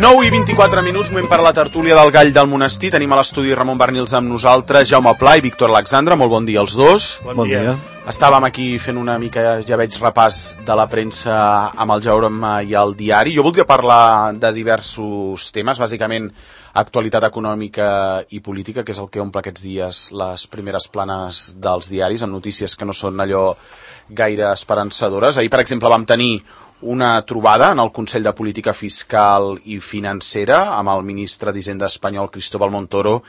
9 i 24 minuts, moment per a la tertúlia del Gall del Monestir. Tenim a l'estudi Ramon Barnils amb nosaltres, Jaume Pla i Víctor Alexandre. Molt bon dia als dos. Bon dia. Estàvem aquí fent una mica, ja veig, repàs de la premsa amb el Jaume i el diari. Jo voldria parlar de diversos temes, bàsicament actualitat econòmica i política, que és el que omple aquests dies les primeres planes dels diaris, amb notícies que no són allò gaire esperançadores. Ahir, per exemple, vam tenir una trobada en el Consell de Política Fiscal i Financera amb el ministre d'Hisenda espanyol, Cristóbal Montoro,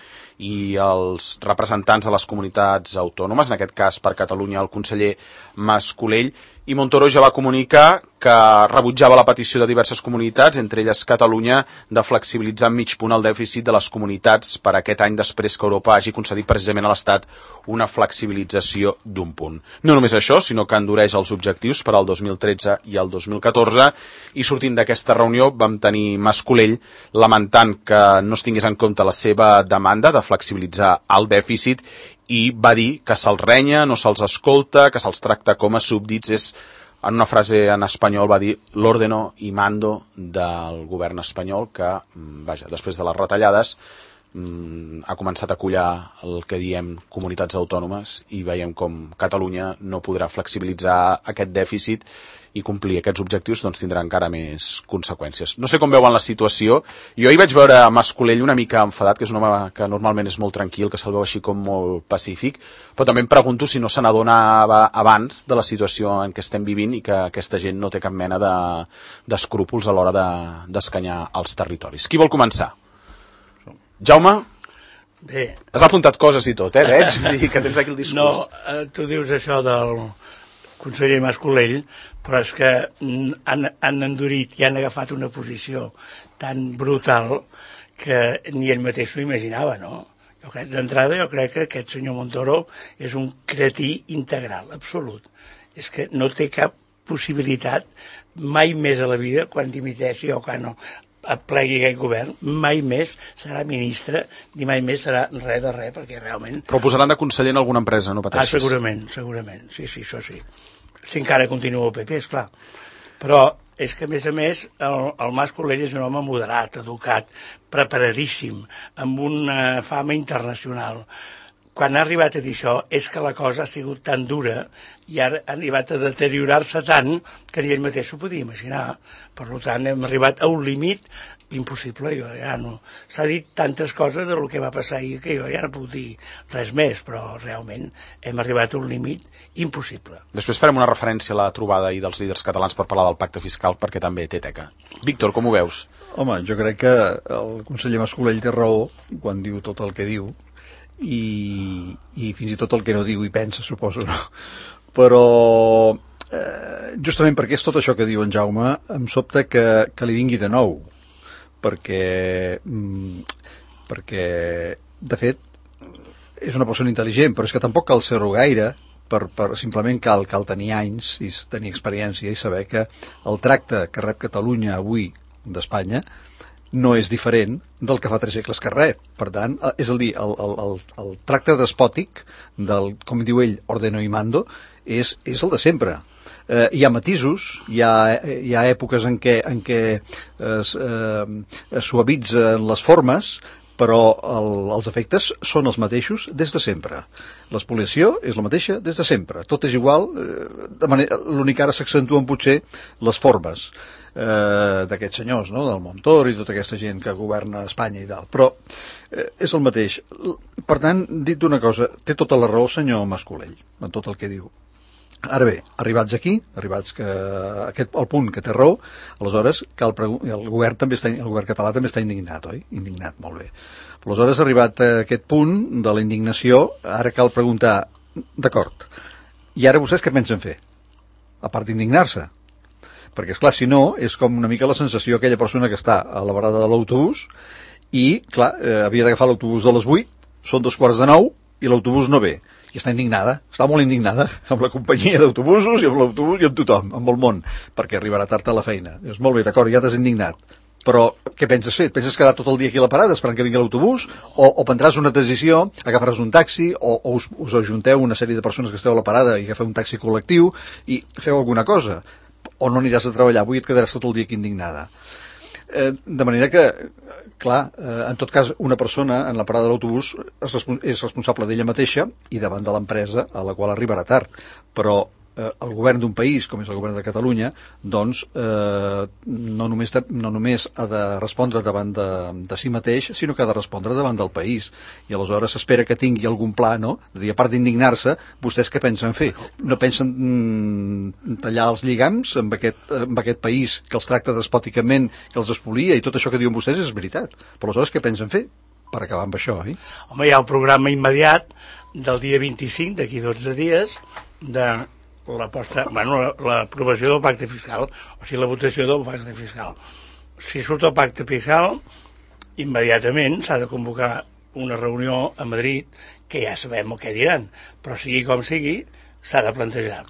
i els representants de les comunitats autònomes, en aquest cas per Catalunya el conseller Mas Colell, i Montoro ja va comunicar que rebutjava la petició de diverses comunitats, entre elles Catalunya, de flexibilitzar en mig punt el dèficit de les comunitats per aquest any després que Europa hagi concedit precisament a l'Estat una flexibilització d'un punt. No només això, sinó que endureix els objectius per al 2013 i el 2014, i sortint d'aquesta reunió vam tenir Mas Colell lamentant que no es tingués en compte la seva demanda de flexibilitzar el dèficit, i va dir que se'ls renya, no se'ls escolta, que se'ls tracta com a súbdits. És, en una frase en espanyol va dir l'ordeno y mando del govern espanyol que, vaja, després de les retallades ha començat a collar el que diem comunitats autònomes i veiem com Catalunya no podrà flexibilitzar aquest dèficit i complir aquests objectius, doncs tindrà encara més conseqüències. No sé com veuen la situació. Jo hi vaig veure a Mas Colell una mica enfadat, que és un home que normalment és molt tranquil, que se'l veu així com molt pacífic, però també em pregunto si no se n'adonava abans de la situació en què estem vivint i que aquesta gent no té cap mena d'escrúpols a l'hora d'escanyar els territoris. Qui vol començar? Jaume? Bé. Has apuntat coses i tot, veig? Vull dir que tens aquí el discurs. No, tu dius això del conseller Mas Colell, però és que han endurit i han agafat una posició tan brutal que ni ell mateix s'ho imaginava, no? D'entrada jo crec que aquest senyor Montoro és un cretí integral, absolut. És que no té cap possibilitat mai més a la vida, quan dimiteixi o quan no plegui aquest govern, mai més serà ministre, ni mai més serà res de res, perquè realment... Però posaran de conseller en alguna empresa, no pateixis? Segurament, sí, això sí. Si encara continua el PP, esclar. Però és que, a més, el Mas Colell és un home moderat, educat, preparadíssim, amb una fama internacional. Quan ha arribat a dir això és que la cosa ha sigut tan dura i ha arribat a deteriorar-se tant que ni ell mateix s'ho podia imaginar. Per tant, hem arribat a un límit impossible. Jo ja no... S'ha dit tantes coses del que va passar ahir que jo ja no puc dir res més, però realment hem arribat a un límit impossible. Després farem una referència a la trobada ahir dels líders catalans per parlar del pacte fiscal, perquè també té teca. Víctor, com ho veus? Home, jo crec que el conseller Mas Colell té raó quan diu tot el que diu, i fins i tot el que no diu i pensa, suposo, no? Però justament perquè és tot això que diu en Jaume, em sobta que li vingui de nou, perquè de fet és una persona intel·ligent, però és que tampoc cal ser-ho gaire, simplement cal tenir anys i tenir experiència i saber que el tracte que rep Catalunya avui d'Espanya no és diferent del que fa 3 segles que rep. Per tant, és a dir, el tracte despòtic del, com diu ell, ordeno y mando, és el de sempre. Hi ha matisos, hi ha èpoques en què es suavitzen les formes, però els efectes són els mateixos des de sempre. L'espoliació és la mateixa des de sempre. Tot és igual, l'únic que ara s'accentuen potser les formes d'aquests senyors, no? Del Montoro i tota aquesta gent que governa Espanya i tal, però és el mateix. Per tant, dit una cosa, té tota la raó el senyor Mas Colell en tot el que diu. Ara bé, arribats aquí, al punt que té raó, aleshores el govern català també està indignat, oi? Indignat, molt bé. Aleshores, arribat a aquest punt de la indignació, ara cal preguntar, d'acord, i ara vostès què pensen fer? A part d'indignar-se? Perquè, esclar, si no, és com una mica la sensació aquella persona que està a la parada de l'autobús i, clar, havia d'agafar l'autobús de les 8, són 8:45 i l'autobús no ve. I està indignada, està molt indignada amb la companyia d'autobusos i amb l'autobús i amb tothom, amb el món, perquè arribarà tard a la feina. Dius, molt bé, d'acord, ja t'has indignat. Però què penses fer? Et penses quedar tot el dia aquí a la parada esperant que vingui l'autobús? O prendràs una decisió, agafaràs un taxi, o us ajunteu una sèrie de persones que esteu a la parada i agafeu un taxi col·lectiu i feu alguna cosa? O no aniràs a treballar, avui et quedaràs tot el dia aquí indignada. De manera que, clar, en tot cas, una persona en la parada de l'autobús és responsable d'ella mateixa i davant de l'empresa a la qual arribarà tard. Però el govern d'un país, com és el govern de Catalunya, doncs no només ha de respondre davant de si mateix, sinó que ha de respondre davant del país. I aleshores s'espera que tingui algun pla, no? És a dir, a part d'indignar-se, vostès què pensen fer? No pensen tallar els lligams amb aquest país que els tracta despòticament, que els espolia, i tot això que diuen vostès és veritat. Però aleshores què pensen fer per acabar amb això, eh? Home, hi ha el programa immediat del dia 25, d'aquí 12 dies, de l'aprovació del pacte fiscal, o sigui, la votació del pacte fiscal. Si surt el pacte fiscal, immediatament s'ha de convocar una reunió a Madrid, que ja sabem el que diran, però sigui com sigui, s'ha de plantejar.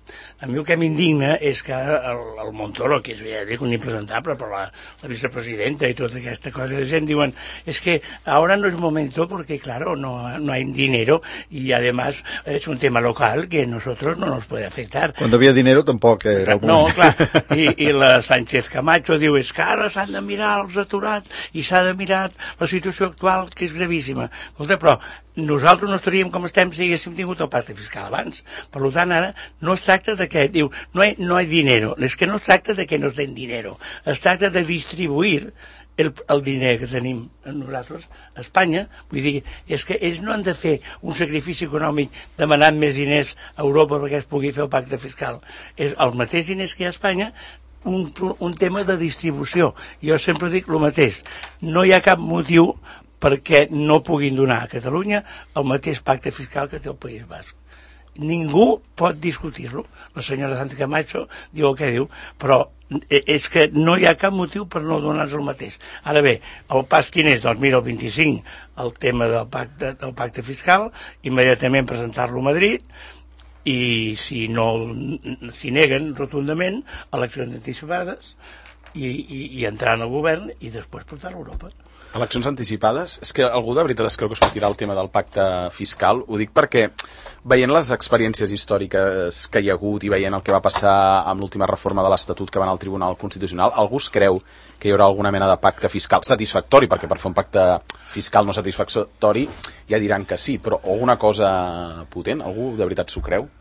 A mi el que m'indigna és que el Montoro, que és un impresentable, però la vicepresidenta y toda esta cosa de gent diuen, es que ahora no es momento porque, claro, no hay dinero y además es un tema local que a nosotros no nos puede afectar. Cuando había dinero tampoc era... No, clar, i la Sánchez Camacho diu, és que ara s'han de mirar els aturats i s'ha de mirar la situació actual, que és gravíssima. Escolta, però nosaltres no estaríem com estem si haguéssim tingut el pacte fiscal abans. Per tant, ara no es tracta de que, diu, no hay dinero. És que no es tracta de que nos den dinero. Es tracta de distribuir el diner que tenim nosaltres a Espanya. Vull dir, és que ells no han de fer un sacrifici econòmic demanant més diners a Europa perquè es pugui fer el pacte fiscal. És els mateixos diners que hi ha a Espanya, un tema de distribució. Jo sempre dic el mateix. No hi ha cap motiu perquè no puguin donar a Catalunya el mateix pacte fiscal que té el País Basc. Ningú pot discutir-lo. La senyora Sánchez Camacho diu el que diu, però és que no hi ha cap motiu per no donar-nos el mateix. Ara bé, el pas quin és? Doncs mira, el 25, el tema del pacte fiscal, immediatament presentar-lo a Madrid, i si neguen rotundament, eleccions anticipades, i entrar en el govern i després portar-lo a Europa. Eleccions anticipades? És que algú de veritat es creu que sortirà el tema del pacte fiscal? Ho dic perquè, veient les experiències històriques que hi ha hagut i veient el que va passar amb l'última reforma de l'Estatut que va anar al Tribunal Constitucional, algú es creu que hi haurà alguna mena de pacte fiscal satisfactori, perquè per fer un pacte fiscal no satisfactori ja diran que sí, però alguna cosa potent? Algú de veritat s'ho creu?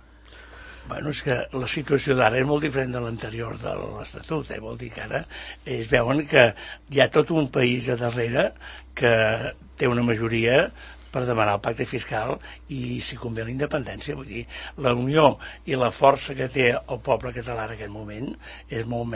Bueno, és que la situació d'ara és molt diferent de l'anterior de l'Estatut, vol dir que ara es veuen que hi ha tot un país a darrere que té una majoria per demanar el pacte fiscal i, si convé, la independència. Vull dir, la unió i la força que té el poble català en aquest moment és molt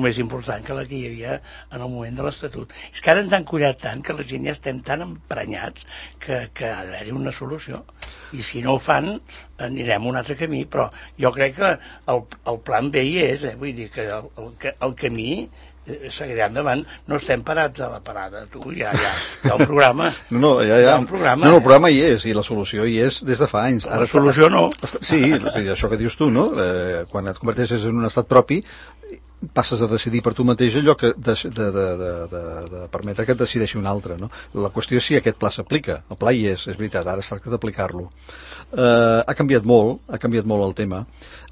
més important que la que hi havia en el moment de l'Estatut. És que ara ens han collat tant que la gent ja estem tan emprenyats que ha d'haver-hi una solució. I si no ho fan, anirem un altre camí, però jo crec que el plan B hi és, vull dir que el camí seguirà endavant, no estem parats a la parada, tu, hi ha un programa. No, hi ha un programa. No, el programa hi és, i la solució hi és des de fa anys. La solució no. Sí, això que dius tu, no? Quan et converteixes en un estat propi, passes a decidir per tu mateix allò que de permetre que et decideixi un altre, no? La qüestió és si aquest pla s'aplica. El pla hi és veritat, ara es tracta d'aplicar-lo. Ha canviat molt el tema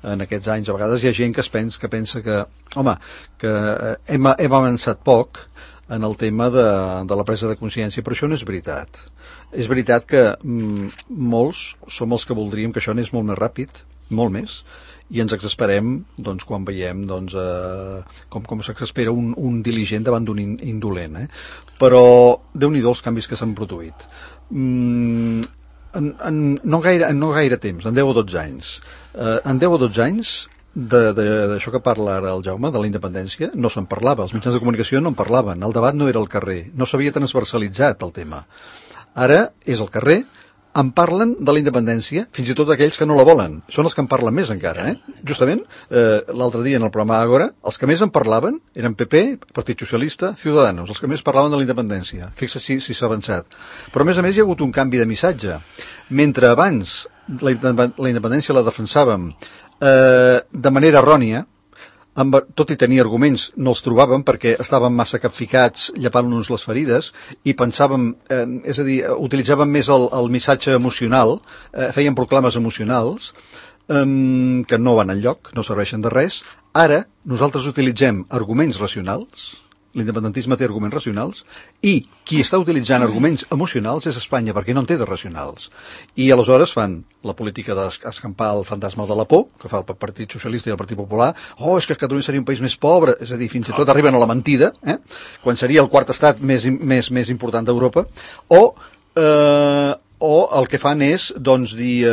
en aquests anys. A vegades hi ha gent que pensa que hem avançat poc en el tema de la presa de consciència, però això no és veritat. És veritat que molts som els que voldríem que això anés molt més ràpid, molt més, i ens exasperem quan veiem com s'exaspera un diligent davant d'un indolent. Però Déu-n'hi-do els canvis que s'han produït. No gaire temps, en 10 o 12 anys. En 10 o 12 anys d'això que parla ara el Jaume, de la independència, no se'n parlava. Els mitjans de comunicació no en parlaven. El debat no era al carrer. No s'havia transversalitzat el tema. Ara és al carrer. En parlen de la independència, fins i tot aquells que no la volen. Són els que en parlen més encara, Justament, l'altre dia en el programa Ágora, els que més en parlaven eren PP, Partit Socialista, Ciudadanos, els que més parlaven de la independència. Fixa't si s'ha avançat. Però a més hi ha hagut un canvi de missatge. Mentre abans la independència la defensàvem de manera errònia, tot i tenir arguments, no els trobàvem perquè estàvem massa capficats llepant-nos les ferides i pensàvem, és a dir, utilitzàvem més el missatge emocional, feien proclames emocionals que no van enlloc, no serveixen de res. Ara nosaltres utilitzem arguments racionals l'independentisme té arguments racionals, i qui està utilitzant arguments emocionals és Espanya, perquè no en té de racionals. I aleshores fan la política d'escampar el fantasma de la por, que fa el Partit Socialista i el Partit Popular. És que Catalunya seria un país més pobre, és a dir, fins i tot arriben a la mentida, quan seria el quart estat més important d'Europa, o el que fan és, doncs, dir...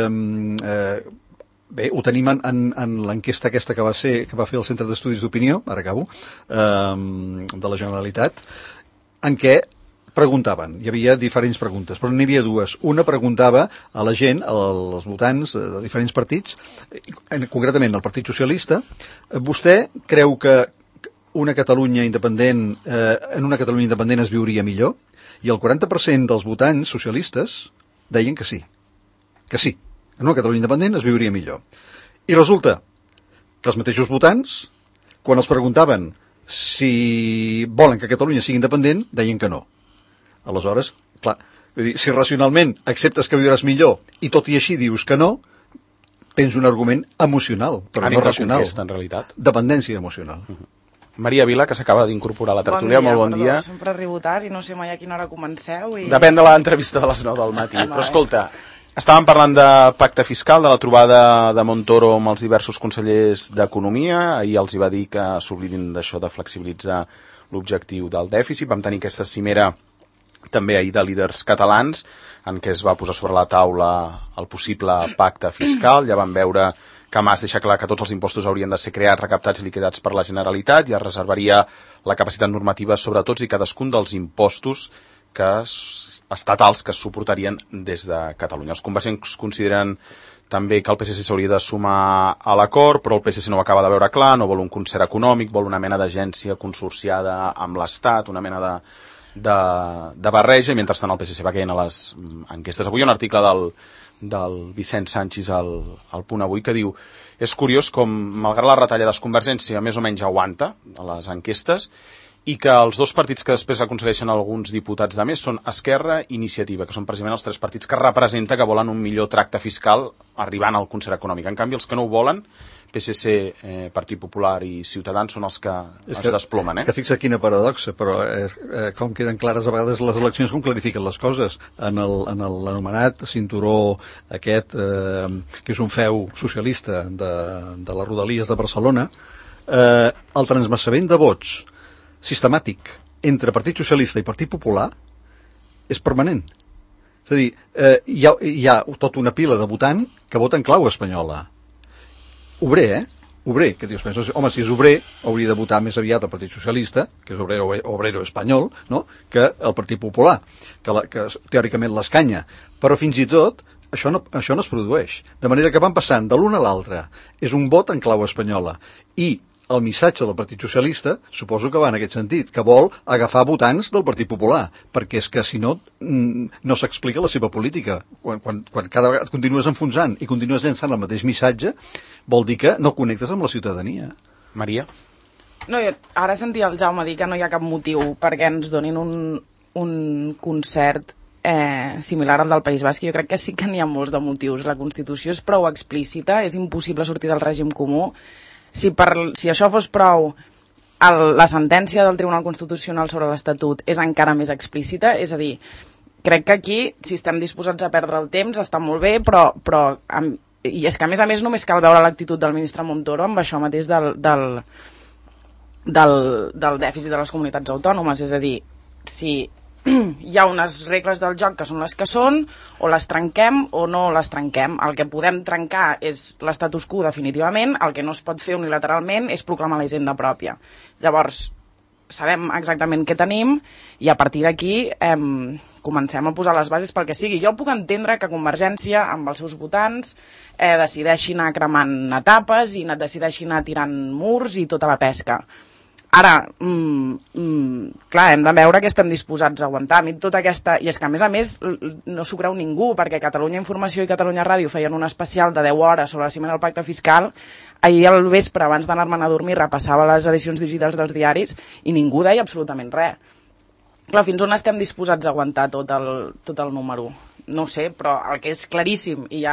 Bé, ho tenim en l'enquesta aquesta que va fer el Centre d'Estudis d'Opinió, ara acabo, de la Generalitat, en què preguntaven, hi havia diferents preguntes, però n'hi havia dues. Una preguntava a la gent, als votants de diferents partits, concretament al Partit Socialista, vostè creu que una Catalunya independent, en una Catalunya independent es viuria millor? I el 40% dels votants socialistes deien que sí. Que sí. En una Catalunya independent es viuria millor. I resulta que els mateixos votants, quan els preguntaven si volen que Catalunya sigui independent, deien que no. Aleshores, clar, vull dir, si racionalment acceptes que viuràs millor i tot i així dius que no, tens un argument emocional, però no racional. Conquesta, en realitat. Dependència emocional. Maria Vila, que s'acaba d'incorporar a la tertúlia, molt bon dia. Sempre arribo tard i no sé mai a quina hora comenceu. Depèn de l'entrevista de les 9 del matí. Però escolta, estàvem parlant de pacte fiscal, de la trobada de Montoro amb els diversos consellers d'Economia. Ahir els hi va dir que s'oblidin d'això de flexibilitzar l'objectiu del dèficit. Vam tenir aquesta cimera també ahir de líders catalans, en què es va posar sobre la taula el possible pacte fiscal. Ja vam veure que Mas deixa clar que tots els impostos haurien de ser creats, recaptats i liquidats per la Generalitat, i es reservaria la capacitat normativa sobre tots i cadascun dels impostos estatals que es suportarien des de Catalunya. Els convergents consideren també que el PSC s'hauria de sumar a l'acord, però el PSC no ho acaba de veure clar, no vol un concert econòmic, vol una mena d'agència consorciada amb l'Estat, una mena de barreja, i mentrestant el PSC va caient a les enquestes. Avui hi ha un article del Vicent Sanchis al Punt Avui que diu: és curiós com, malgrat la retallades, Convergència més o menys aguanta a les enquestes, i que els dos partits que després aconsegueixen alguns diputats de més són Esquerra i Iniciativa, que són precisament els tres partits que representa que volen un millor tracte fiscal arribant al concert econòmic. En canvi, els que no ho volen, PSC, Partit Popular i Ciutadans, són els que es desplomen. És que fixa quina paradoxa, però com queden clares a vegades les eleccions, com clarifiquen les coses. En l'anomenat cinturó aquest, que és un feu socialista de les Rodalies de Barcelona, el transvasament de vots sistemàtic entre Partit Socialista i Partit Popular és permanent. És a dir, hi ha tota una pila de votant que voten clau espanyola. Obrer, obrer, que dius, home, si és obrer, hauria de votar més aviat el Partit Socialista, que és obrero espanyol, no?, que el Partit Popular, que teòricament l'escanya. Però fins i tot, això no es produeix. De manera que van passant de l'un a l'altre. És un vot en clau espanyola. I el missatge del Partit Socialista, suposo que va en aquest sentit, que vol agafar votants del Partit Popular, perquè és que si no, no s'explica la seva política. Quan cada vegada continues enfonsant i continues llançant el mateix missatge, vol dir que no connectes amb la ciutadania. Maria? No, ara sentia el Jaume dir que no hi ha cap motiu perquè ens donin un concert similar al del País Basc. Jo crec que sí que n'hi ha molts de motius. La Constitució és prou explícita, és impossible sortir del règim comú. Si això fos prou, la sentència del Tribunal Constitucional sobre l'Estatut és encara més explícita, és a dir, crec que aquí, si estem disposats a perdre el temps, està molt bé, però i és que a més només cal veure l'actitud del ministre Montoro amb això mateix del dèficit de les comunitats autònomes, és a dir, si hi ha unes regles del joc que són les que són, o les trenquem o no les trenquem. El que podem trencar és l'estatus quo definitivament, el que no es pot fer unilateralment és proclamar la hisenda pròpia. Llavors, sabem exactament què tenim i a partir d'aquí comencem a posar les bases pel que sigui. Jo puc entendre que Convergència, amb els seus votants, decideixi anar cremant etapes i decideixi anar tirant murs i tota la pesca. Ara, clar, hem de veure que estem disposats a aguantar. I és que, a més, no s'ho creu ningú, perquè Catalunya Informació i Catalunya Ràdio feien un especial de 10 hores sobre la cimera del pacte fiscal. Ahir al vespre, abans d'anar-me'n a dormir, repassava les edicions digitals dels diaris i ningú deia absolutament res. Clar, fins on estem disposats a aguantar tot el número? no ho sé, però el que és claríssim i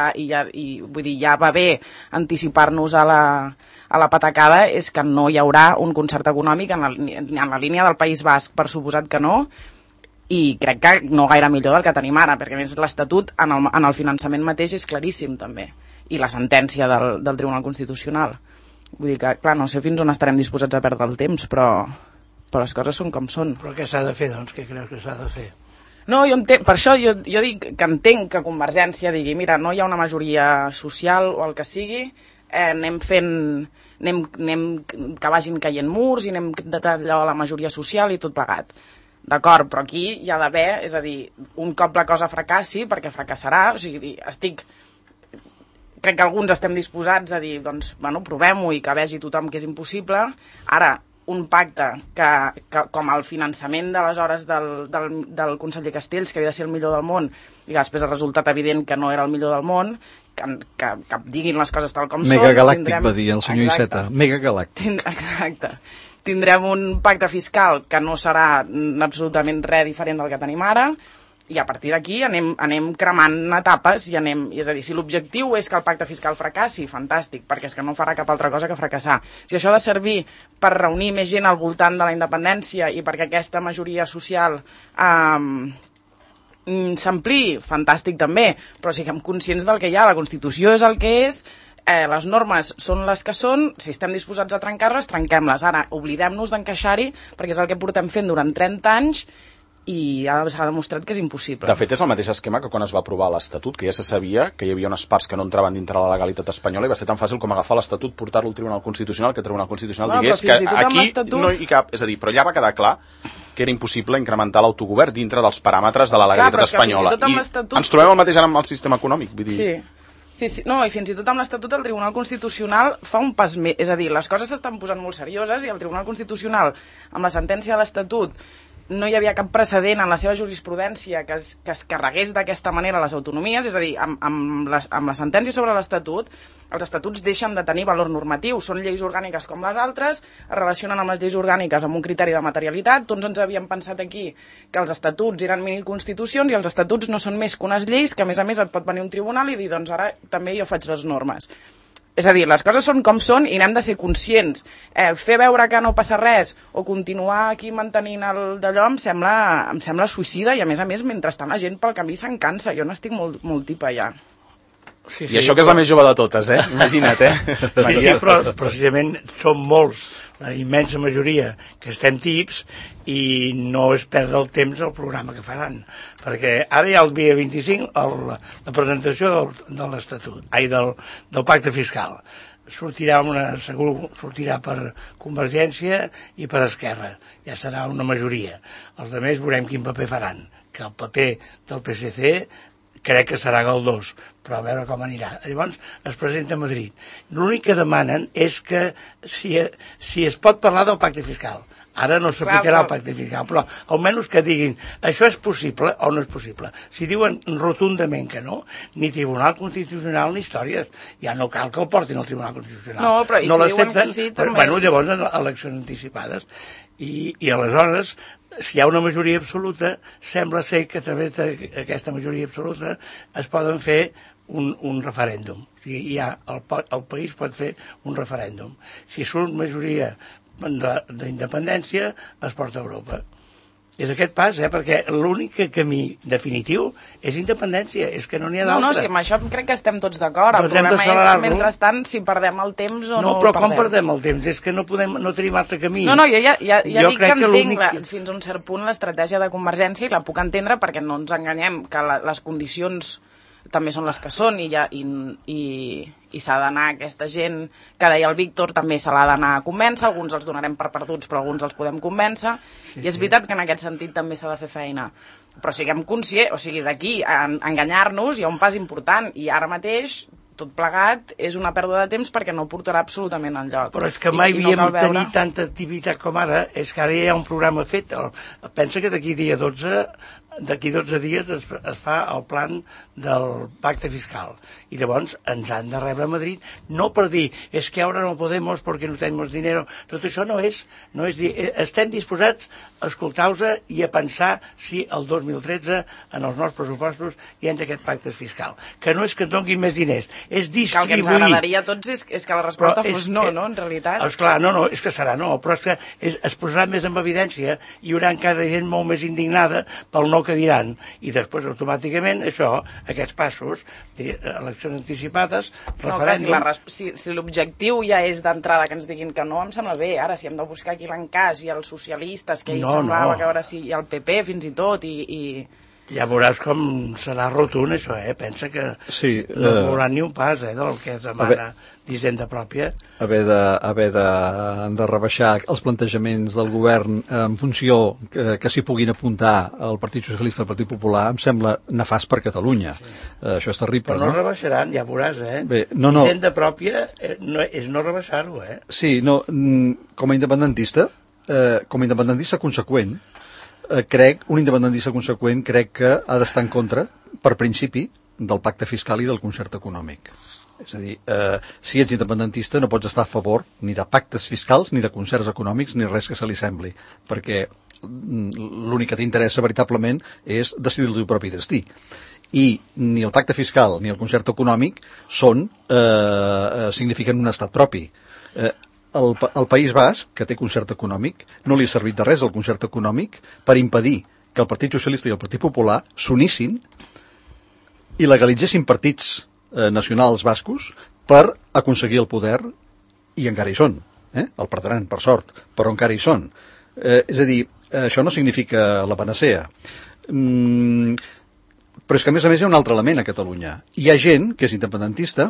vull dir, ja va bé anticipar-nos a la patacada és que no hi haurà un concert econòmic en la línia del País Basc, per suposat que no, i crec que no gaire millor del que tenim ara, perquè a més l'Estatut en el finançament mateix és claríssim també, i la sentència del Tribunal Constitucional. Vull dir que, clar, no sé fins on estarem disposats a perdre el temps, però les coses són com són. Però què s'ha de fer, doncs? Què creus que s'ha de fer? No, per això jo dic que entenc que Convergència digui, mira, no hi ha una majoria social o el que sigui, anem que vagin caient murs i anem d'allò a la majoria social i tot plegat. D'acord, però aquí hi ha d'haver, és a dir, un cop la cosa fracassi, perquè fracassarà, o sigui, crec que alguns estem disposats a dir, doncs, bueno, provem-ho i que vegi tothom que és impossible. Ara, un pacte que com el finançament d'aleshores del conseller Castells, que havia de ser el millor del món, i que després ha resultat evident que no era el millor del món, que diguin les coses tal com són... Megagalàctic, va dir el senyor Iceta. Megagalàctic. Exacte. Tindrem un pacte fiscal que no serà absolutament res diferent del que tenim ara, i a partir d'aquí anem cremant etapes és a dir, si l'objectiu és que el pacte fiscal fracassi, fantàstic, perquè és que no farà cap altra cosa que fracassar. Si això ha de servir per reunir més gent al voltant de la independència i perquè aquesta majoria social s'ampliï, fantàstic també, però siguem conscients del que hi ha, la Constitució és el que és, les normes són les que són, si estem disposats a trencar-les, trenquem-les. Ara, oblidem-nos d'encaixar-hi, perquè és el que portem fent durant 30 anys, i ara s'ha demostrat que és impossible. De fet, és el mateix esquema que quan es va aprovar l'Estatut, que ja se sabia que hi havia unes parts que no entraven dintre la legalitat espanyola i va ser tan fàcil com agafar l'Estatut, portar-lo al Tribunal Constitucional, que el Tribunal Constitucional digués que aquí no hi cap... És a dir, però ja va quedar clar que era impossible incrementar l'autogovern dintre dels paràmetres de la legalitat espanyola. I ens trobem el mateix ara amb el sistema econòmic. Vull dir... Sí, no, i fins i tot amb l'Estatut el Tribunal Constitucional fa un pas més, és a dir, les coses s'estan posant molt serioses i el Tribunal Constitucional, amb la sentència de l'Estatut, no hi havia cap precedent en la seva jurisprudència que es carregués d'aquesta manera les autonomies, és a dir, amb la sentència sobre l'Estatut, els estatuts deixen de tenir valor normatiu, són lleis orgàniques com les altres, es relacionen amb les lleis orgàniques amb un criteri de materialitat, tots ens havíem pensat aquí que els estatuts eren miniconstitucions i els estatuts no són més que unes lleis que a més et pot venir un tribunal i dir, doncs ara també jo faig les normes. És a dir, les coses són com són i n'hem de ser conscients. Fer veure que no passa res o continuar aquí mantenint el d'allò em sembla suïcida i a més, mentrestant la gent pel camí se'n cansa. Jo n'estic molt tipa ja. Sí, I això que és la més jove de totes, Imagina't, Sí, però precisament som molts, la immensa majoria, que estem tips i no es perd el temps el programa que faran. Perquè ara hi ha el dia 25 la presentació de l'Estatut, del pacte fiscal. Segur sortirà per Convergència i per Esquerra. Ja serà una majoria. Els altres veurem quin paper faran. Que el paper del PSC crec que serà galdós, però a veure com anirà. Llavors es presenta a Madrid. L'únic que demanen és que si es pot parlar del pacte fiscal. Ara no s'aplicarà el pacte fiscal, però almenys que diguin això és possible o no és possible. Si diuen rotundament que no, ni Tribunal Constitucional ni històries. Ja no cal que el portin al Tribunal Constitucional. No, però i si diuen que sí, també... Bueno, llavors eleccions anticipades. I aleshores, si hi ha una majoria absoluta, sembla ser que a través d'aquesta majoria absoluta es poden fer un referèndum. O sigui, el país pot fer un referèndum. Si surt majoria d'independència, es porta a Europa. És aquest pas, perquè l'únic camí definitiu és independència, és que no n'hi ha d'altre. No, sí, amb això crec que estem tots d'acord. El problema és, mentrestant, si perdem el temps o no el perdem. No, però com perdem el temps? És que no tenim altre camí. No, jo ja dic que entenc fins a un cert punt l'estratègia de Convergència i la puc entendre perquè no ens enganyem que les condicions també són les que són i s'ha d'anar aquesta gent que deia el Víctor, també se l'ha d'anar a convèncer, alguns els donarem per perduts però alguns els podem convèncer, i és veritat que en aquest sentit també s'ha de fer feina, però siguem conscients, o sigui, d'aquí a enganyar-nos hi ha un pas important i ara mateix tot plegat és una pèrdua de temps perquè no portarà absolutament enlloc. Però és que mai havíem tenir tanta activitat com ara, és que ara ja hi ha un programa fet. Pensa que d'aquí dia 12 d'aquí 12 dies es fa el plan del pacte fiscal. I llavors ens han de rebre a Madrid, no per dir, és que ara no podemos perquè no tenim dinero. Tot això no és dir, estem disposats a escoltar-vos i a pensar si el 2013 en els nostres pressupostos hi ha aquest pacte fiscal. Que no és que ens donguin més diners, és distribuir. Que el que ens agradaria a tots és que la resposta fos no, en realitat. Esclar, no, és que serà no, però és que es posarà més en evidència i hi haurà encara gent molt més indignada pel no que diran, i després automàticament aquests passos, eleccions anticipades, referèndum... Si l'objectiu ja és d'entrada que ens diguin que no, em sembla bé. Ara, si hem de buscar aquí l'encàs i els socialistes, que semblava que a veure si hi ha el PP fins i tot, i... Ja veuràs com serà rotund això, pensa que no veurà ni un pas del que es demana d'Hisenda pròpia. Haver de rebaixar els plantejaments del govern en funció que s'hi puguin apuntar el Partit Socialista i el Partit Popular em sembla nefast per Catalunya. Això és terrible. Però no rebaixaran, ja veuràs, Bé, no. Hisenda pròpia és no rebaixar-ho, Sí, no, com a independentista conseqüent, un independentista conseqüent crec que ha d'estar en contra, per principi, del pacte fiscal i del concert econòmic. És a dir, si ets independentista no pots estar a favor ni de pactes fiscals, ni de concerts econòmics, ni res que se li sembli, perquè l'únic que t'interessa veritablement és decidir el teu propi destí. I ni el pacte fiscal ni el concert econòmic signifiquen un estat propi. El País Basc, que té concert econòmic, no li ha servit de res el concert econòmic per impedir que el Partit Socialista i el Partit Popular s'unissin i legalitzessin partits nacionals bascos per aconseguir el poder, i encara hi són. El perdran, per sort, però encara hi són. És a dir, això no significa la panacea. Però és que, a més hi ha un altre element a Catalunya. Hi ha gent que és independentista,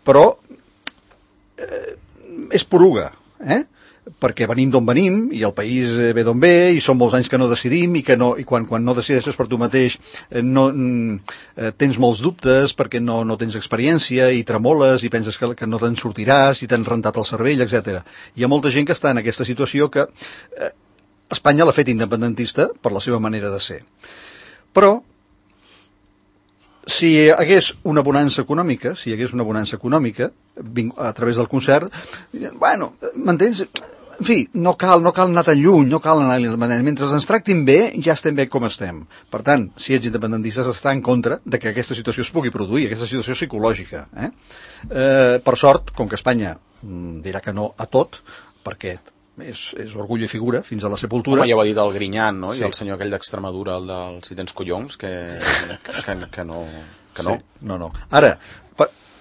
però és poruga, perquè venim d'on venim i el país ve d'on ve i són molts anys que no decidim i quan no decideixes per tu mateix tens molts dubtes perquè no tens experiència i tremoles i penses que no te'n sortiràs i t'han rentat el cervell, etc. Hi ha molta gent que està en aquesta situació que Espanya l'ha fet independentista per la seva manera de ser. Però si hi hagués una bonança econòmica, a través del concert, bueno, m'entens? En fi, no cal anar tan lluny, no cal anar a l'independència. Mentre ens tractin bé, ja estem bé com estem. Per tant, si ets independentista, està en contra de que aquesta situació es pugui produir, aquesta situació psicològica. Per sort, com que Espanya dirà que no a tot, perquè és orgull i figura fins a la sepultura. Home, ja ho ha dit el Grinyán, no? Sí. I el senyor aquell d'Extremadura, el del Si tens collons, que no. Sí, no. Ara,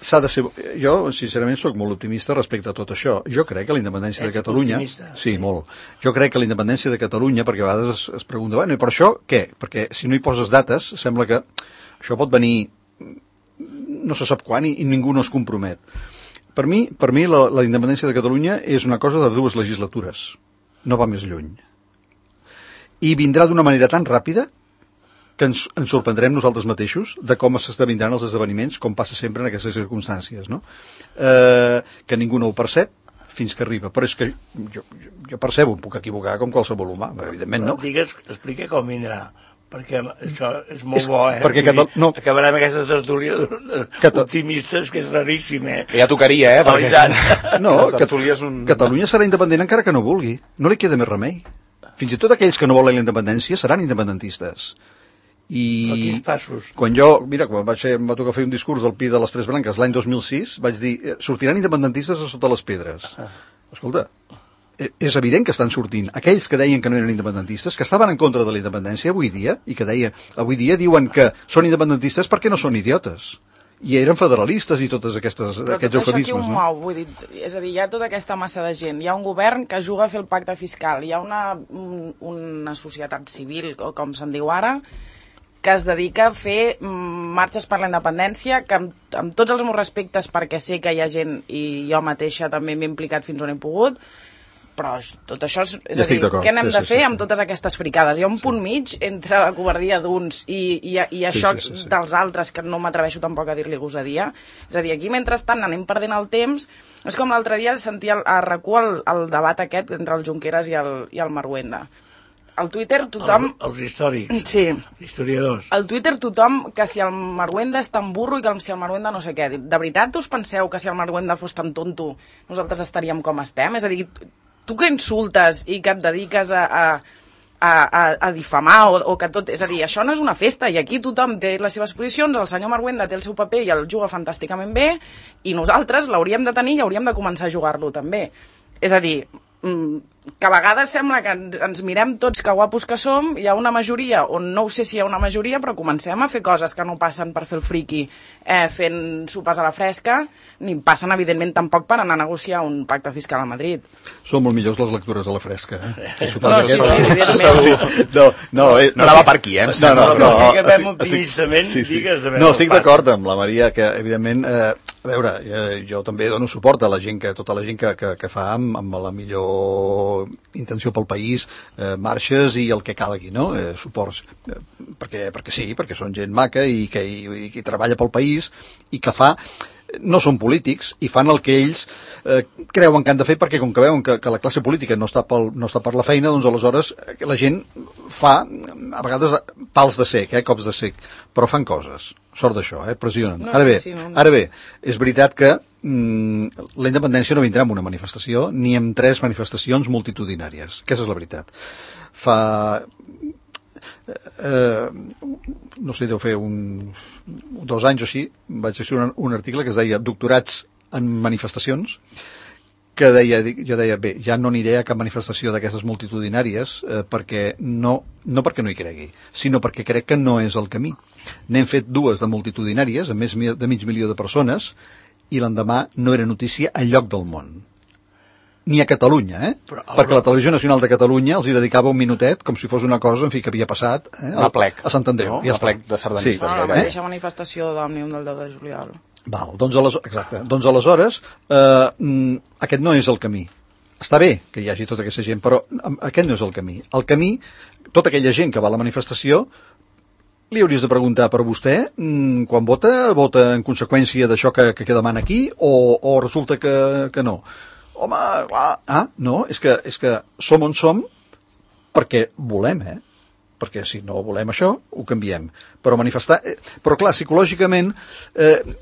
s'ha de ser... Jo, sincerament, sóc molt optimista respecte a tot això. Jo crec que la independència de Catalunya... Sí, molt. Jo crec que la independència de Catalunya, perquè a vegades es pregunta, bueno, i per això què? Perquè si no hi poses dates, sembla que això pot venir no se sap quan i ningú no es compromet. Per mi la independència de Catalunya és una cosa de 2 legislatures. No va més lluny. I vindrà d'una manera tan ràpida que ens sorprendrem nosaltres mateixos de com s'esdevindran els esdeveniments, com passa sempre en aquestes circumstàncies, no? Que ningú no ho percep fins que arriba. Però és que jo percebo, em puc equivocar com qualsevol humà, evidentment no. Explica com vindrà, perquè això és molt bo, Perquè acabarem aquesta tertúlia optimistes, que és raríssim, Ja tocaria, perquè... No, Catalunya serà independent encara que no vulgui. No li queda més remei. Fins i tot aquells que no volen la independència seran independentistes. Però quins passos? Quan em va tocar fer un discurs del Pi de les Tres Branques l'any 2006, vaig dir, sortiran independentistes a sota les pedres. Escolta, és evident que estan sortint aquells que deien que no eren independentistes, que estaven en contra de la independència avui dia, i que avui dia diuen que són independentistes perquè no són idiotes. I eren federalistes i tots aquests eufemismes. Però això aquí ho mou, vull dir, és a dir, hi ha tota aquesta massa de gent, hi ha un govern que juga a fer el pacte fiscal, hi ha una societat civil, o com se'n diu ara, que es dedica a fer marxes per la independència, que amb tots els meus respectes, perquè sé que hi ha gent, i jo mateixa també m'he implicat fins on he pogut, però tot això és a dir, què n'hem de fer amb totes aquestes fricades? Hi ha un punt mig entre la covardia d'uns i això dels altres, que no m'atreveixo tampoc a dir-li gosadia. És a dir, aquí mentrestant anem perdent el temps. És com l'altre dia sentia a RAC1 el debat aquest entre el Junqueras i el Marhuenda. al Twitter tothom... Els històrics, Sí. els historiadors. Al Twitter tothom que si el Marwenda és tan burro i que si el Marwenda no sé què. De veritat us penseu que si el Marwenda fos tan tonto nosaltres estaríem com estem? És a dir, tu que insultes i que et dediques a difamar o que tot... És a dir, això no és una festa i aquí tothom té les seves posicions, el senyor Marwenda té el seu paper i el juga fantàsticament bé i nosaltres l'hauríem de tenir i hauríem de començar a jugar-lo també. És a dir, que a vegades sembla que ens mirem tots que guapos que som, hi ha una majoria, o no ho sé si hi ha una majoria, però comencem a fer coses que no passen per fer el friqui fent sopes a la fresca, ni passen evidentment tampoc per anar a negociar un pacte fiscal a Madrid. Són molt millors les lectures a la fresca, eh? No, sí, evidentment. No anava per aquí, eh? Optimistament, no, estic d'acord amb la Maria, que evidentment, a veure, jo també dono suport a la gent tota la gent que fa amb la millor intenció pel país, marxes i el que calgui, no? Suports, perquè sí, perquè són gent maca i que treballa pel país i que fa, no són polítics i fan el que ells creuen que han de fer, perquè com que veuen que la classe política no està per la feina, doncs aleshores la gent fa a vegades pals de cec, cops de cec, però fan coses, sort d'això, pressionen. Ara bé, és veritat que la independència no vindrà amb una manifestació ni amb 3 manifestacions multitudinàries, aquesta és la veritat. No sé, deu fer 2 anys o així, vaig escriure un article que es deia Doctorats en manifestacions, que jo deia, bé, ja no aniré a cap manifestació d'aquestes multitudinàries perquè no perquè no hi cregui, sinó perquè crec que no és el camí. N'hem fet 2 de multitudinàries, amb més de mig milió de persones, i l'endemà no era notícia enlloc del món. Ni a Catalunya, perquè la Televisió Nacional de Catalunya els hi dedicava un minutet com si fos una cosa, en fi, que havia passat a Sant Andreu, no? Plec de sardanistes. La mateixa manifestació d'Òmnium del 10 de juliol. Val, doncs aleshores aquest no és el camí. Està bé que hi hagi tota aquesta gent, però aquest no és el camí. El camí, tota aquella gent que va a la manifestació, li hauries de preguntar per vostè, quan vota en conseqüència d'això que demana aquí, o resulta que no? Home, clar, no, és que som on som perquè volem, perquè si no volem això, ho canviem. Però manifestar... Però clar, psicològicament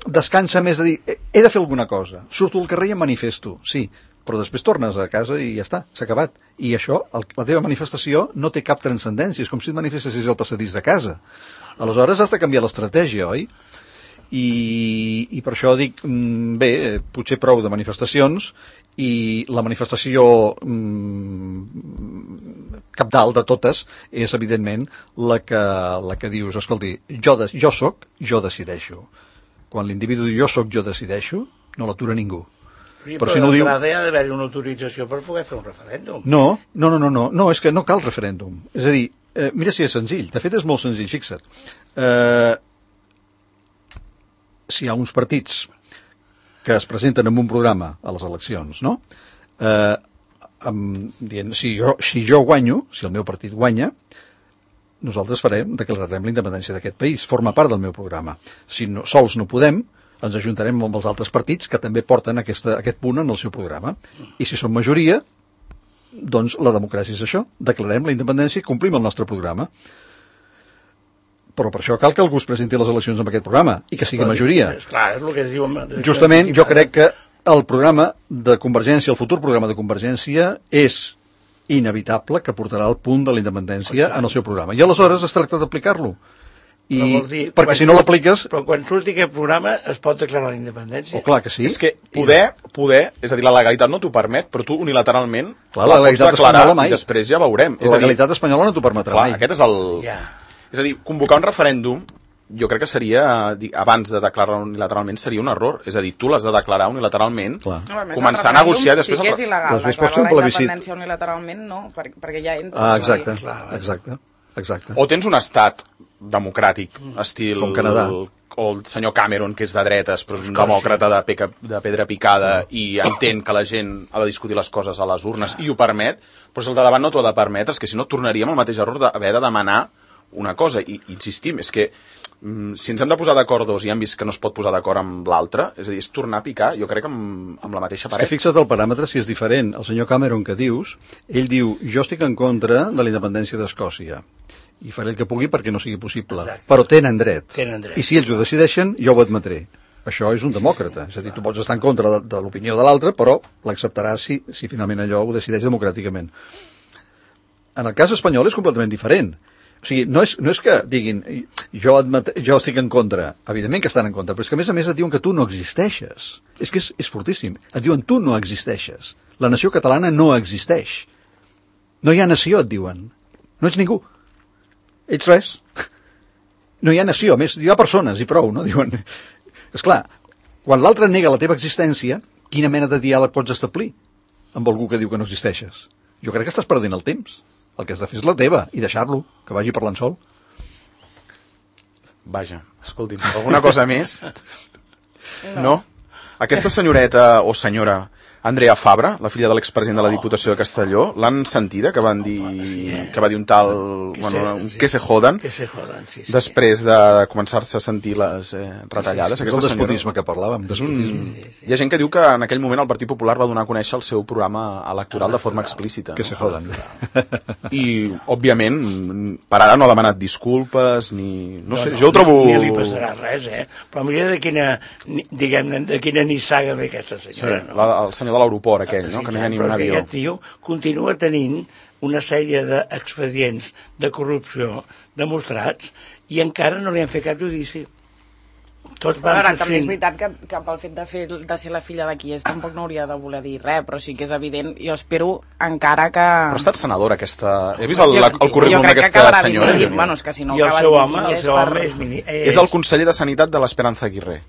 descansa més de dir, he de fer alguna cosa, surto al carrer i em manifesto, sí, però després tornes a casa i ja està, s'ha acabat. I això, la teva manifestació no té cap transcendència, és com si et manifestessis al passadís de casa. Aleshores has de canviar l'estratègia, oi? I per això dic, bé, potser prou de manifestacions, i la manifestació cabdal de totes és, evidentment, la que dius, escolti, jo soc, jo decideixo. Quan l'individu diu jo soc, jo decideixo, no l'atura ningú. Sí, però si no diu... ha d'haver-hi una autorització per poder fer un referèndum. No, és que no cal referèndum. És a dir, mira si és senzill, de fet és molt senzill, fixa't. Si hi ha uns partits que es presenten amb un programa a les eleccions, no? Dient, si jo guanyo, si el meu partit guanya, nosaltres declararem la independència d'aquest país, forma part del meu programa. Si sols no podem, ens ajuntarem amb els altres partits que també porten aquest punt en el seu programa. I si som majoria, doncs la democràcia és això, declarem la independència i complim el nostre programa. Però per això cal que algú es presenti a les eleccions amb aquest programa i que sigui majoria. Clar, és el que es diu... Justament, jo crec que el programa de Convergència, el futur programa de Convergència, és inevitable que portarà el punt de la independència en el seu programa. I aleshores es tracta d'aplicar-lo. Perquè si no l'apliques... Però quan surti aquest programa es pot declarar la independència. Clar que sí. És que poder, és a dir, la legalitat no t'ho permet, però tu unilateralment la pots declarar i després ja veurem. La legalitat espanyola no t'ho permetrà mai. Aquest és el... És a dir, convocar un referèndum, jo crec que seria, abans de declarar unilateralment, seria un error. És a dir, tu l'has de declarar unilateralment, començar a negociar... Sí que és il·legal, declarar la independència unilateralment no, perquè ja entres... Exacte. O tens un estat democràtic, estil... Com Canadà. O el senyor Cameron, que és de dretes, però és un demòcrata de pedra picada i entén que la gent ha de discutir les coses a les urnes i ho permet, però si el de davant no t'ho ha de permetre, és que si no tornaríem al mateix error d'haver de demanar una cosa, i insistim, és que si ens hem de posar d'acord dos i hem vist que no es pot posar d'acord amb l'altre, és a dir, és tornar a picar, jo crec, amb la mateixa paret. Fixa't el paràmetre si és diferent. El senyor Cameron que dius, ell diu, jo estic en contra de la independència d'Escòcia i faré el que pugui perquè no sigui possible. Exacte. Però tenen dret. Tenen dret. I si ells ho decideixen, jo ho admetré. Això és un demòcrata. És a dir, tu pots estar en contra de l'opinió de l'altre, però l'acceptaràs si finalment allò ho decideix democràticament. En el cas espanyol és completament diferent. O sigui, no és que diguin jo estic en contra. Evidentment que estan en contra, però és que a més et diuen que tu no existeixes. És que és fortíssim. Et diuen tu no existeixes. La nació catalana no existeix. No hi ha nació, et diuen. No ets ningú. Ets res. No hi ha nació, a més hi ha persones i prou, no? Diuen. Esclar, quan l'altre nega la teva existència, quina mena de diàleg pots establir amb algú que diu que no existeixes? Jo crec que estàs perdent el temps. El que has de fer és la teva i deixar-lo, que vagi parlant sol. Vaja, escolti'm, alguna cosa més? No? Aquesta senyoreta o senyora Andrea Fabra, la filla de l'expresident de la Diputació de Castelló, l'han sentida, que va dir un tal... que se joden, sí. Després de començar-se a sentir les retallades. És el despotisme que parlàvem. Hi ha gent que diu que en aquell moment el Partit Popular va donar a conèixer el seu programa electoral de forma explícita. Que se joden. I, òbviament, per ara no ha demanat disculpes, ni... No sé, jo ho trobo... Ni li passarà res, Però mira de quina nissaga ve aquesta senyora, no? El senyor de l'aeroport aquell, no? Que no hi ha ni un avió. Aquest tio continua tenint una sèrie d'expedients de corrupció demostrats i encara no li han fet cap judici. Tots van... Ara, també és veritat que pel fet de ser la filla d'aquí tampoc no hauria de voler dir res, però sí que és evident, jo espero encara que... Però ha estat senadora aquesta... He vist el currículum d'aquesta senyora. Bueno, és que si no I el seu home és el conseller de Sanitat de l'Esperanza Aguirre.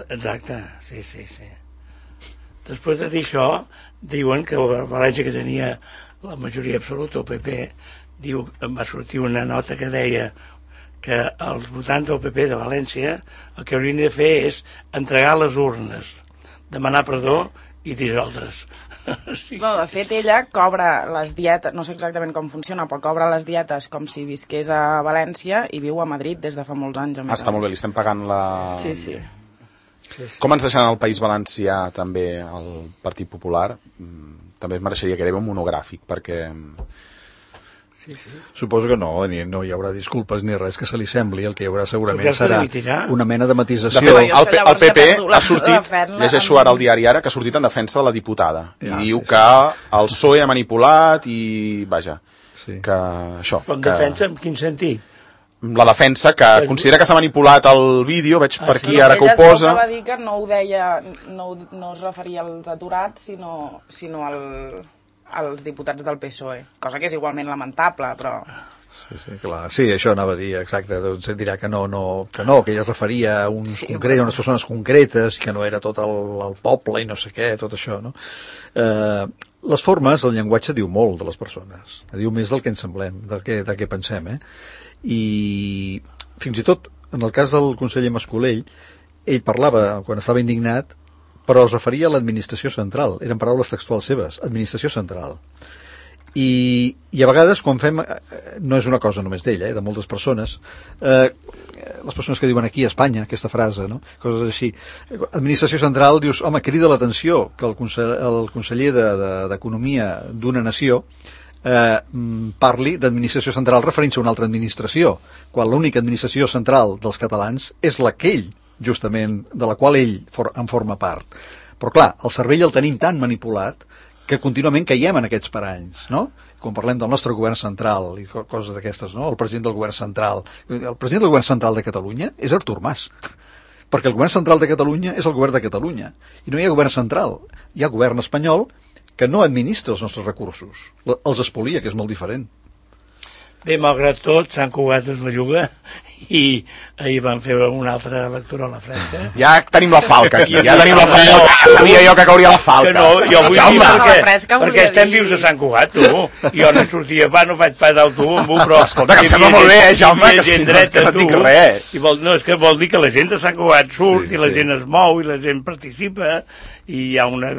Exacte, sí. Després de dir això, diuen que València, que tenia la majoria absoluta, el PP, va sortir una nota que deia que els votants del PP de València el que haurien de fer és entregar les urnes, demanar perdó i dissoldre's. Sí. No, de fet, ella cobra les dietes, no sé exactament com funciona, però cobra les dietes com si visqués a València i viu a Madrid des de fa molts anys. Està molt bé, li estem pagant la... Sí. Com ens deixen al País Valencià també el Partit Popular? També es mereixeria que era un monogràfic, perquè... Sí. Suposo que no hi haurà disculpes ni res que se li sembli. El que hi haurà segurament serà una mena de matisació. De fet, el PP ha sortit, llegeixo ara el diari Ara, que ha sortit en defensa de la diputada. I diu que el PSOE ha manipulat i, vaja, que això... Però en defensa, en quin sentit? La defensa, que considera que s'ha manipulat el vídeo, veig per aquí ara que ho posa... Ella va dir que no ho deia, no es referia als aturats, sinó als diputats del PSOE, cosa que és igualment lamentable, però... Sí, clar. Sí, això anava a dir, exacte, doncs dirà que que ella es referia a uns concrets, a unes persones concretes, que no era tot el poble i no sé què, tot això, no? Les formes, el llenguatge diu molt de les persones, diu més del que ens semblem, del que pensem, i fins i tot en el cas del conseller Mascolell, ell parlava quan estava indignat, però es referia a l'administració central, eren paraules textuals seves, administració central, i a vegades quan fem, no és una cosa només d'ell, de moltes persones, les persones que diuen aquí a Espanya aquesta frase, no? Coses així, administració central, dius, home, crida l'atenció que el conseller d'Economia d'una nació parli d'administració central referint-se a una altra administració, quan l'única administració central dels catalans és la que ell, justament, de la qual ell en forma part. Però clar, el cervell el tenim tan manipulat que contínuament caiem en aquests paranys, no? Quan parlem del nostre govern central i coses d'aquestes, no? El president del govern central de Catalunya és Artur Mas, perquè el govern central de Catalunya és el govern de Catalunya, i no hi ha govern central, hi ha govern espanyol que no administra els nostres recursos, els espolia, que és molt diferent. Bé, malgrat tot, Sant Cugat es belluga i ahir van fer una altra lectura a la fresca. Ja tenim la falca aquí, ja tenim la falca. Ja sabia jo que cauria la falca. Que no, jo vull dir perquè estem dir. vius a Sant Cugat, tu. Jo no sortia, no faig pas d'autobús, però... Escolta, que em sembla molt bé, Jaume, que si no dic res. No, és que vol dir que la gent de Sant Cugat surt i la gent es mou i la gent participa i hi ha una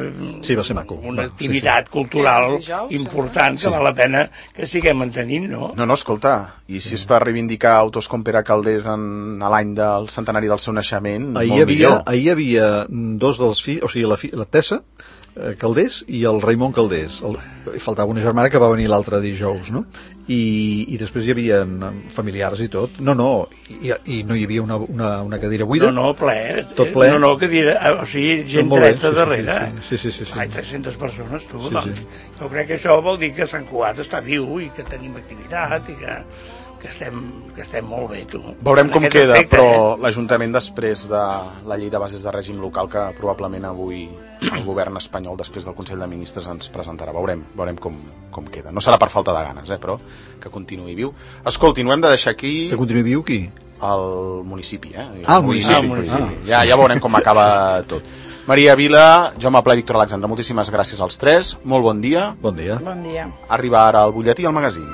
activitat cultural important que val la pena que siguem mantenint, no? No, escolta, i si és per reivindicar autors com Pere Calders a l'any del centenari del seu naixement, molt millor. Ahir hi havia dos dels fills, o sigui, la Tessa Calders i el Raimon Calders. Faltava una germana que va venir l'altre dijous, no? I després hi havia familiars i tot. I no hi havia una cadira buida. No, ple. Tot ple. No, cadira, o sigui, gent dreta darrere. Sí. Ai, 300 persones, tu, doncs. Jo crec que això vol dir que Sant Cugat està viu i que tenim activitat i que estem molt bé, tu. Veurem com queda, però l'Ajuntament després de la llei de bases de règim local que probablement avui el govern espanyol després del Consell de Ministres ens presentarà. Veurem com queda. No serà per falta de ganes, però que continuï viu. Escolti, no hem de deixar aquí... Que continuï viu qui? El municipi, el municipi. Ja veurem com acaba tot. Maria Vila, Jaume Pla i Víctor Alexandre, moltíssimes gràcies als tres. Molt bon dia. Bon dia. Bon dia. Arriba ara el butlletí al magazín.